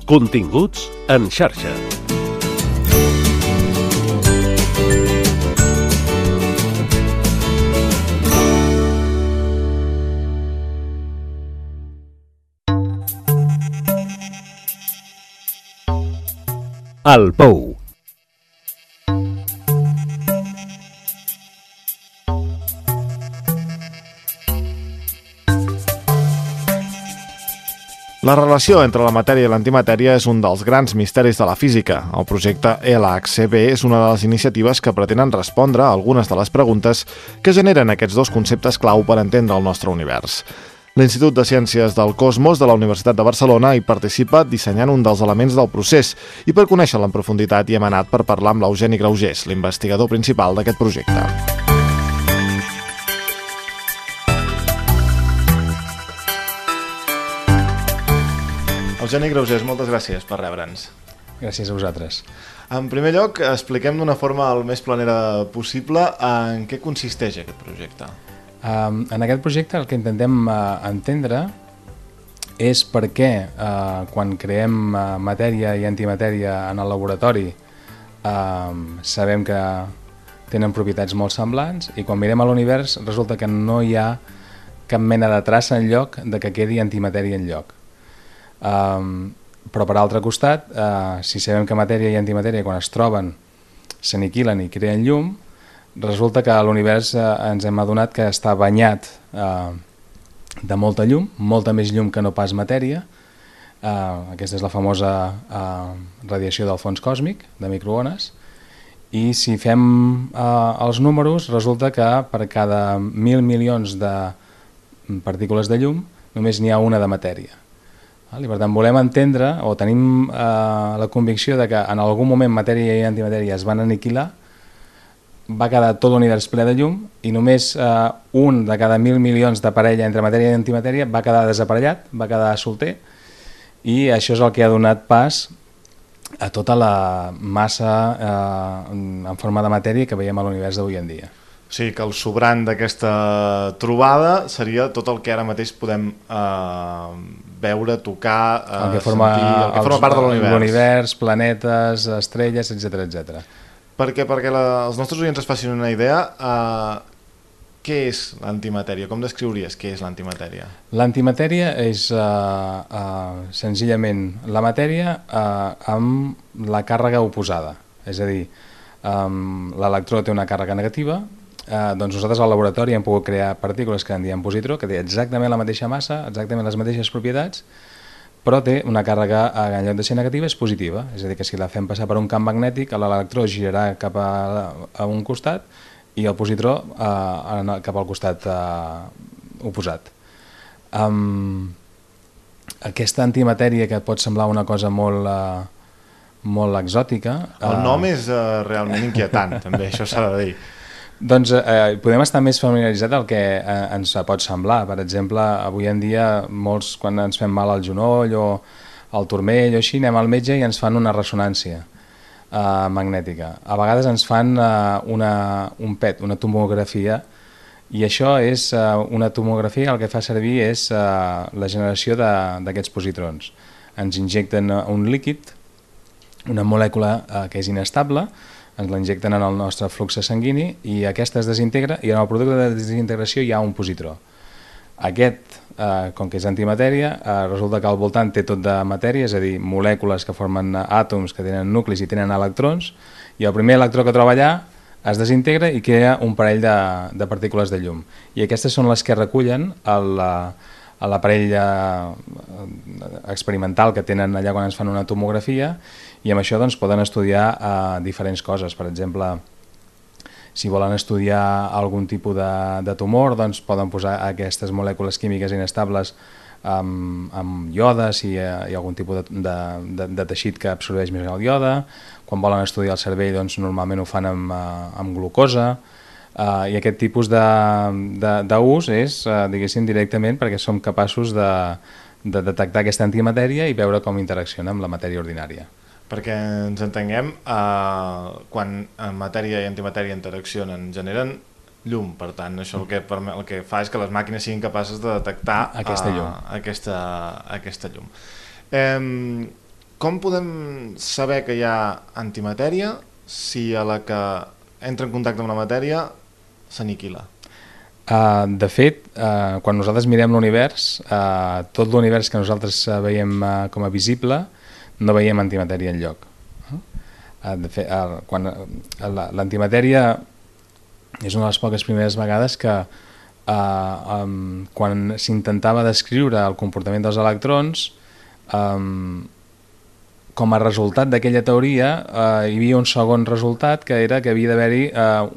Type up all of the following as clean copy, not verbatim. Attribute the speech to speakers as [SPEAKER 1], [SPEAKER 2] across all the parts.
[SPEAKER 1] Continguts en xarxa. El Pou.
[SPEAKER 2] La relació entre la matèria i l'antimatèria és un dels grans misteris de la física. El projecte LHCb és una de les iniciatives que pretenen respondre a algunes de les preguntes que generen aquests dos conceptes clau per entendre el nostre univers. L'Institut de Ciències del Cosmos de la Universitat de Barcelona hi participa dissenyant un dels elements del procés i per conèixer-lo en profunditat hi hem anat per parlar amb l'Eugeni Graugés, l'investigador principal d'aquest projecte. Eugeni Graugés, moltes gràcies per rebre'ns.
[SPEAKER 3] Gràcies a vosaltres.
[SPEAKER 2] En primer lloc, expliquem d'una forma el més planera possible en què consisteix aquest projecte.
[SPEAKER 3] En aquest projecte el que intentem entendre és per què quan creem matèria i antimatèria en el laboratori sabem que tenen propietats molt semblants i quan mirem a l'univers resulta que no hi ha cap mena de traça enlloc de que quedi antimatèria enlloc. Però per altre costat, si sabem que matèria i antimatèria quan es troben s'aniquilen i creen llum, resulta que l'univers ens hem adonat que està banyat de molta llum, molta més llum que no pas matèria. Aquesta és la famosa radiació del fons còsmic, de microones, i si fem els números resulta que per cada 1.000 milions de partícules de llum només n'hi ha una de matèria. I per tant volem entendre o tenim la convicció de que en algun moment matèria i antimatèria es van aniquilar, va quedar tot l'univers ple de llum i només un de cada 1.000 milions de parella entre matèria i antimatèria va quedar desaparellat, va quedar solter i això és el que ha donat pas a tota la massa en forma de matèria que veiem a l'univers d'avui en dia.
[SPEAKER 2] O sigui que el sobrant d'aquesta trobada seria tot el que ara mateix podem veure, tocar,
[SPEAKER 3] el que forma,
[SPEAKER 2] sentir, el que forma part de l'univers.
[SPEAKER 3] L'univers, planetes, estrelles, etc.
[SPEAKER 2] Perquè els nostres oients es facin una idea, què és l'antimatèria? Com descriuries què és l'antimatèria?
[SPEAKER 3] L'antimatèria és senzillament la matèria amb la càrrega oposada. És a dir, l'electró té una càrrega negativa, doncs nosaltres al laboratori hem pogut crear partícules que en diem positró, que té exactament la mateixa massa, exactament les mateixes propietats, però té una càrrega, en lloc de ser negativa, és positiva. És a dir, que si la fem passar per un camp magnètic, l'electró girarà cap a un costat i el positró cap al costat oposat. Aquesta antimatèria, que pot semblar una cosa molt exòtica...
[SPEAKER 2] El nom és realment inquietant, també, això s'ha de dir.
[SPEAKER 3] Doncs podem estar més familiaritzats del que ens pot semblar. Per exemple, avui en dia, molts quan ens fem mal al genoll o al turmell o així, anem al metge i ens fan una ressonància magnètica. A vegades ens fan un PET, una tomografia, i això és una tomografia, el que fa servir és la generació d'aquests positrons. Ens injecten un líquid, una molècula que és inestable, ens la injecten en el nostre flux sanguini i aquesta es desintegra i en el producte de desintegració hi ha un positró. Aquest, com que és antimatèria, resulta que al voltant té tot de matèria, és a dir, molècules que formen àtoms que tenen nuclis i tenen electrons, i el primer electró que troba allà es desintegra i crea un parell de partícules de llum. I aquestes són les que recullen l'aparell experimental que tenen allà quan ens fan una tomografia i amb això doncs, poden estudiar diferents coses. Per exemple, si volen estudiar algun tipus de tumor, doncs poden posar aquestes molècules químiques inestables amb iode, si hi ha algun tipus de teixit que absorbeix més el iode. Quan volen estudiar el cervell, doncs, normalment ho fan amb glucosa. I aquest tipus d'ús és, diguéssim, directament perquè som capaços de detectar aquesta antimatèria i veure com interacciona amb la matèria ordinària.
[SPEAKER 2] Perquè ens entenguem, quan matèria i antimatèria interaccionen, generen llum, per tant, això el que fa és que les màquines siguin capaces de detectar aquesta llum. Com podem saber que hi ha antimatèria si a la que entra en contacte amb la matèria s'aniquila?
[SPEAKER 3] De fet, quan nosaltres mirem l'univers, tot l'univers que nosaltres veiem com a visible, no veiem antimatèria enlloc. De fet, l'antimatèria és una de les poques primeres vegades que quan s'intentava descriure el comportament dels electrons, com a resultat d'aquella teoria hi havia un segon resultat, que era que havia d'haver-hi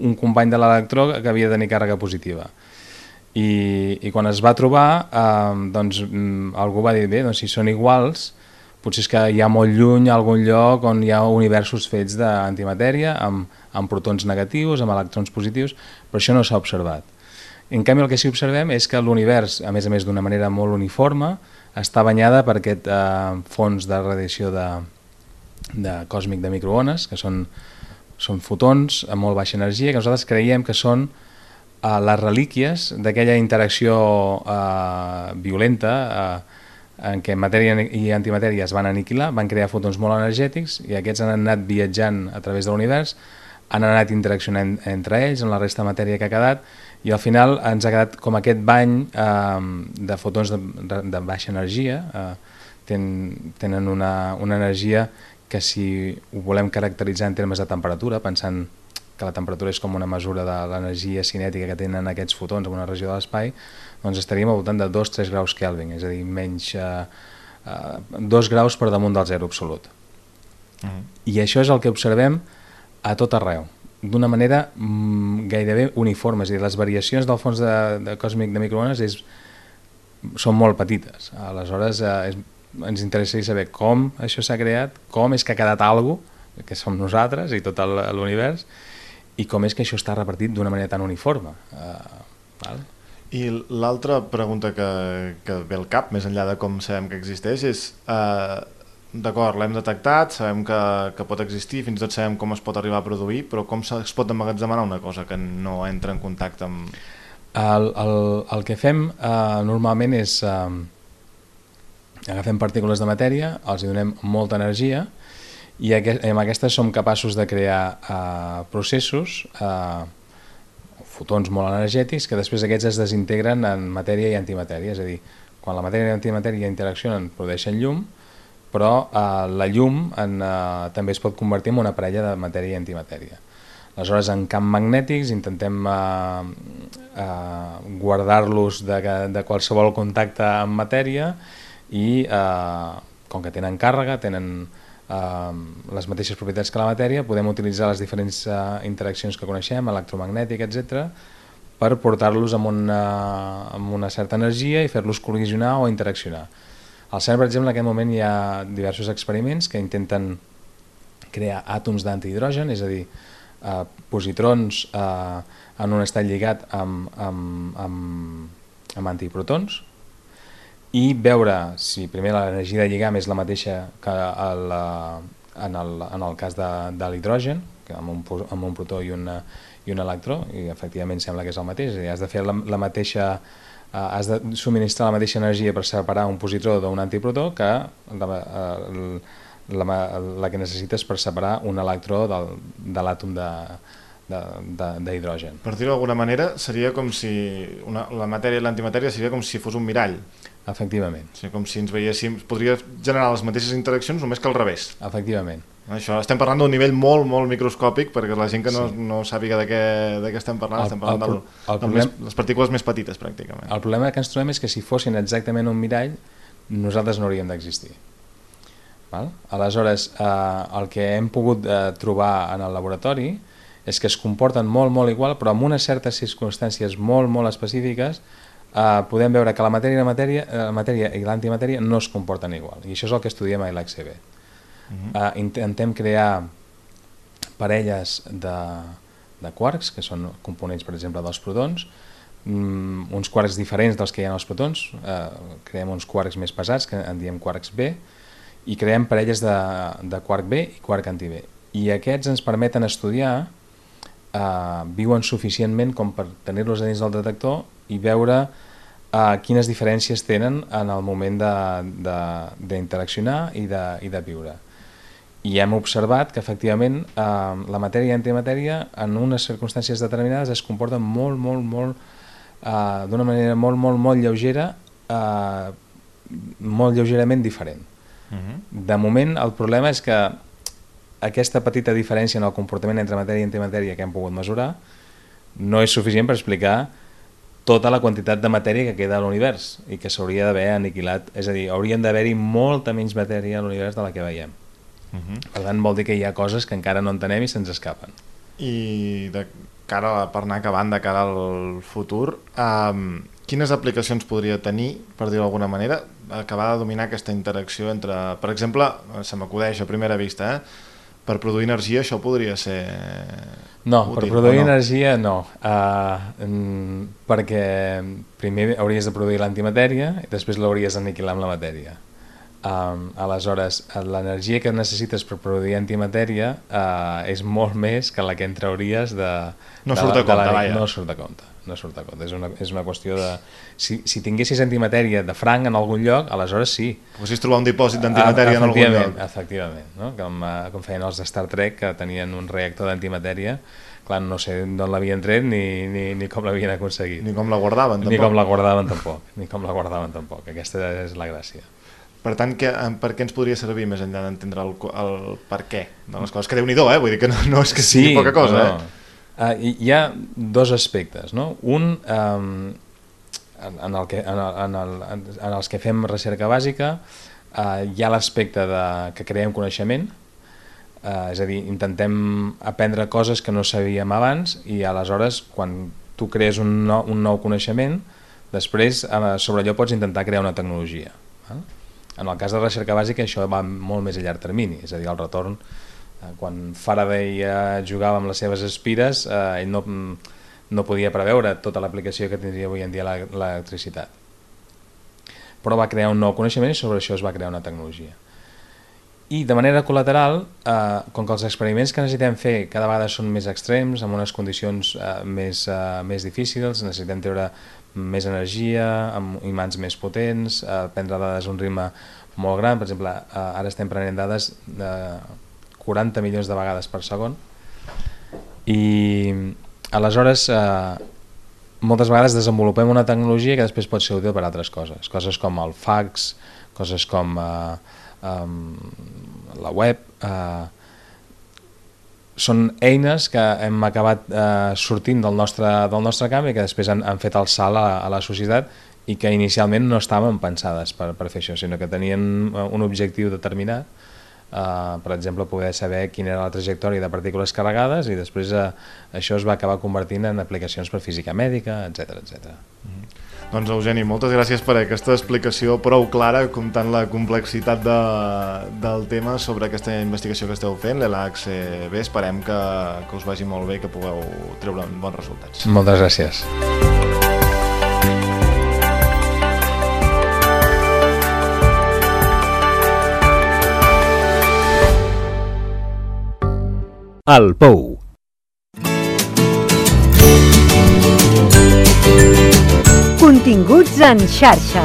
[SPEAKER 3] un company de l'electró que havia de tenir càrrega positiva. I quan es va trobar, doncs, algú va dir, bé, doncs, si són iguals, potser és que hi ha molt lluny, a algun lloc on hi ha universos fets d'antimatèria, amb protons negatius, amb electrons positius, però això no s'ha observat. En canvi, el que sí que observem és que l'univers, a més d'una manera molt uniforme, està banyada per aquest fons de radiació còsmic de microones, que són fotons amb molt baixa energia, que nosaltres creiem que són les relíquies d'aquella interacció violenta en què matèria i antimatèria es van aniquilar, van crear fotons molt energètics i aquests han anat viatjant a través de l'univers, han anat interaccionant entre ells, amb la resta de matèria que ha quedat, i al final ens ha quedat com aquest bany de fotons de baixa energia, tenen una energia que, si ho volem caracteritzar en termes de temperatura, pensant que la temperatura és com una mesura de l'energia cinètica que tenen aquests fotons en una regió de l'espai, doncs estaríem al voltant de 2-3 graus Kelvin, és a dir, menys 2 graus per damunt del zero absolut. I això és el que observem a tot arreu, d'una manera gairebé uniforme, és a dir, les variacions del fons de còsmic de microones són molt petites. Aleshores ens interessaria saber com això s'ha creat, com és que ha quedat alguna cosa, que som nosaltres i tot l'univers, i com és que això està repartit d'una manera tan uniforme.
[SPEAKER 2] I l'altra pregunta que ve al cap, més enllà de com sabem que existeix, és d'acord, l'hem detectat, sabem que pot existir, fins i tot sabem com es pot arribar a produir, però com es pot emmagatzemar una cosa que no entra en contacte amb...
[SPEAKER 3] El que fem normalment és agafem partícules de matèria, els hi donem molta energia i amb aquestes som capaços de crear processos, fotons molt energètics, que després aquests es desintegren en matèria i antimatèria, és a dir, quan la matèria i l'antimatèria interaccionen produeixen llum, però la llum també es pot convertir en una parella de matèria i antimatèria. Aleshores, en camps magnètics intentem guardar-los de qualsevol contacte amb matèria i, com que tenen càrrega, tenen les mateixes propietats que la matèria, podem utilitzar les diferents interaccions que coneixem, electromagnètic, etc., per portar-los amb una certa energia i fer-los col·lisionar o interaccionar. Al CERN, per exemple, en aquest moment hi ha diversos experiments que intenten crear àtoms d'antihidrogen, és a dir, positrons en un estat lligat amb antiprotons, i veure si primer l'energia de lligam és la mateixa que en el cas de l'hidrogen, amb un protó i un electró, i efectivament sembla que és el mateix, és a dir, has de fer has de subministrar la mateixa energia per separar un positró d'un antiprotó que la que necessites per separar un electró de l'àtom d'hidrogen.
[SPEAKER 2] Per dir-ho d'alguna manera, seria com si la matèria i l'antimatèria seria com si fos un mirall.
[SPEAKER 3] Efectivament.
[SPEAKER 2] O sigui, com si ens veiéssim, podria generar les mateixes interaccions només que al revés.
[SPEAKER 3] Efectivament.
[SPEAKER 2] Això estem parlant d'un nivell molt, molt microscòpic, perquè la gent que no sàpiga de què estem parlant, estem parlant de les partícules més petites, pràcticament.
[SPEAKER 3] El problema que ens trobem és que si fossin exactament un mirall, nosaltres no hauríem d'existir. Aleshores, el que hem pogut trobar en el laboratori és que es comporten molt, molt igual, però amb unes certes circumstàncies molt, molt específiques, podem veure que la matèria i l'antimatèria no es comporten igual, i això és el que estudiem a l'XCB. Intentem crear parelles de quarks, que són components, per exemple, dels protons, uns quarks diferents dels que hi ha als protons, creem uns quarks més pesats, que en diem quarks B, i creem parelles de quark B i quark anti-B. I aquests ens permeten estudiar, viuen suficientment com per tenir-los dins del detector i veure quines diferències tenen en el moment d'interaccionar i de viure. I hem observat que efectivament la matèria i antimatèria en unes circumstàncies determinades es comporten d'una manera molt lleugera, molt lleugerament diferent. De moment el problema és que aquesta petita diferència en el comportament entre matèria i antimatèria que hem pogut mesurar no és suficient per explicar tota la quantitat de matèria que queda a l'univers i que s'hauria d'haver aniquilat, és a dir, hauríem d'haver-hi molta menys matèria a l'univers de la que veiem. Per tant, vol dir que hi ha coses que encara no entenem i se'ns escapen.
[SPEAKER 2] I per anar acabant, de cara al futur, quines aplicacions podria tenir, per dir-ho d'alguna manera, acabar de dominar aquesta interacció entre, per exemple, se m'acudeix a primera vista, per produir energia això podria ser
[SPEAKER 3] no,
[SPEAKER 2] útil,
[SPEAKER 3] per produir
[SPEAKER 2] no?
[SPEAKER 3] Energia no, perquè primer hauries de produir l'antimatèria i després l'hauries d'aniquilar amb la matèria. Aleshores, l'energia que necessites per produir antimatèria és molt més que la que en trauries de...
[SPEAKER 2] No surt a compte, vaja.
[SPEAKER 3] No surt a compte. És una qüestió de... Si tinguessis antimatèria de franc en algun lloc, aleshores sí.
[SPEAKER 2] Poguessis trobar un dipòsit d'antimatèria en algun lloc.
[SPEAKER 3] Efectivament, no? Com feien els de Star Trek, que tenien un reactor d'antimatèria. Clar, no sé d'on l'havien tret ni com l'havien aconseguit.
[SPEAKER 2] Ni com la guardaven, tampoc.
[SPEAKER 3] Ni com la guardaven tampoc. Aquesta és la gràcia.
[SPEAKER 2] Per tant, per què ens podria servir més enllà d'entendre el per què de les coses? Que Déu-n'hi-do, vull dir que no és que sigui poca cosa.
[SPEAKER 3] Hi ha dos aspectes, no? Un, en els que fem recerca bàsica, hi ha l'aspecte que creem coneixement, és a dir, intentem aprendre coses que no sabíem abans i aleshores, quan tu crees un nou coneixement, després sobre allò pots intentar crear una tecnologia. En el cas de recerca bàsica això va molt més a llarg termini, és a dir, el retorn, quan Faraday jugava amb les seves espires, ell no podia preveure tota l'aplicació que tindria avui en dia l'electricitat. Però va crear un nou coneixement i sobre això es va crear una tecnologia. I de manera col·lateral, com que els experiments que necessitem fer cada vegada són més extrems, amb unes condicions més difícils, necessitem treure més energia, amb imants més potents, prendre dades a un ritme molt gran. Per exemple, ara estem prenent dades de 40 milions de vegades per segon i aleshores moltes vegades desenvolupem una tecnologia que després pot ser útil per a altres coses, coses com el fax, coses com la web, són eines que hem acabat sortint del nostre camp i que després han fet el salt a la societat i que inicialment no estaven pensades per fer això, sinó que tenien un objectiu determinat, per exemple poder saber quina era la trajectòria de partícules carregades i després això es va acabar convertint en aplicacions per física mèdica, etc.
[SPEAKER 2] Doncs Eugeni, moltes gràcies per aquesta explicació prou clara comptant la complexitat del tema sobre aquesta investigació que esteu fent, l'ELAC-CB. Esperem que us vagi molt bé i que pugueu treure bons resultats.
[SPEAKER 3] Moltes gràcies.
[SPEAKER 1] El Pou.
[SPEAKER 4] Continguts en xarxa.